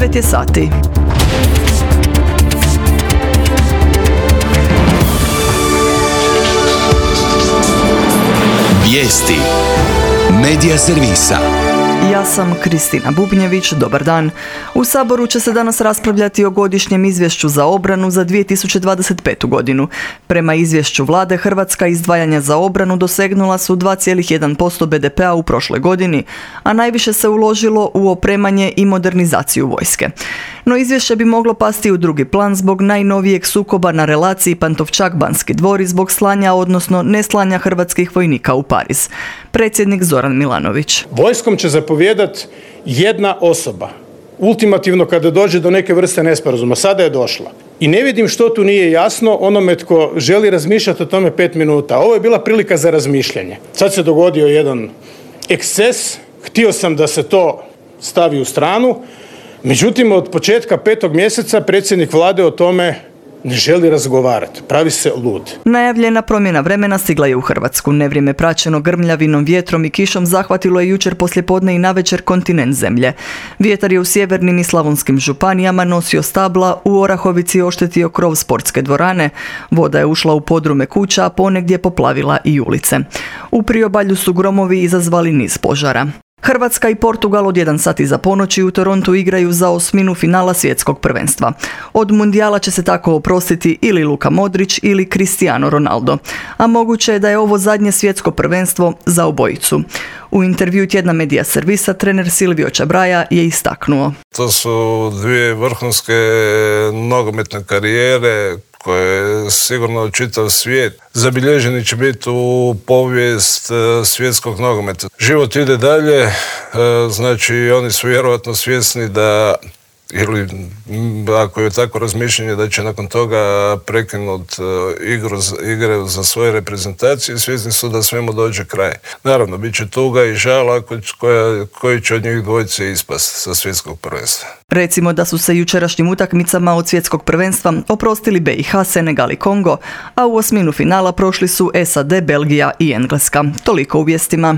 9 je sati. Vijesti Medija servisa. Ja sam Kristina Bubnjević, dobar dan. U Saboru će se danas raspravljati o godišnjem izvješću za obranu za 2025. godinu. Prema izvješću vlade, hrvatska izdvajanja za obranu dosegnula su 2,1% BDP-a u prošloj godini, a najviše se uložilo u opremanje i modernizaciju vojske. No izvješće bi moglo pasti u drugi plan zbog najnovijeg sukoba na relaciji Pantovčak-Banski dvor i zbog slanja, odnosno neslanja hrvatskih vojnika u Pariz. Predsjednik Zoran Milanović. Vojskom će zapovijedati jedna osoba. Ultimativno kada dođe do neke vrste nesporazuma. Sada je došla. I ne vidim što tu nije jasno onome tko želi razmišljati o tome 5 minuta. Ovo je bila prilika za razmišljanje. Sad se dogodio jedan eksces. Htio sam da se to stavi u stranu. Međutim, od početka 5. mjeseca predsjednik vlade o tome ne želi razgovarati. Pravi se lud. Najavljena promjena vremena stigla je u Hrvatsku. Nevrijeme praćeno grmljavinom, vjetrom i kišom zahvatilo je jučer poslijepodne i navečer kontinent zemlje. Vjetar je u sjevernim i slavonskim županijama nosio stabla, u Orahovici oštetio krov sportske dvorane, voda je ušla u podrume kuća, a ponegdje poplavila i ulice. U priobalju su gromovi izazvali niz požara. Hrvatska i Portugal od 1 sat iza ponoći u Torontu igraju za osminu finala svjetskog prvenstva. Od mundijala će se tako oprostiti ili Luka Modrić ili Cristiano Ronaldo, a moguće je da je ovo zadnje svjetsko prvenstvo za obojicu. U intervju tjedna Medija servisa trener Silvio Čabraja je istaknuo: To su dvije vrhunske nogometne karijere koje sigurno čitav svijet zabilježeni će biti u povijest svjetskog nogometa. Život ide dalje, znači oni su vjerojatno svjesni da, ili ako je tako razmišljanje, da će nakon toga prekinuti igre za svoje reprezentacije, svjesni su da svemu dođe kraj. Naravno, bit će tuga i žal koji će od njih dvojice ispast sa svjetskog prvenstva. Recimo da su se jučerašnjim utakmicama od svjetskog prvenstva oprostili BiH, Senegal i Kongo, a u osminu finala prošli su SAD, Belgija i Engleska. Toliko u vijestima.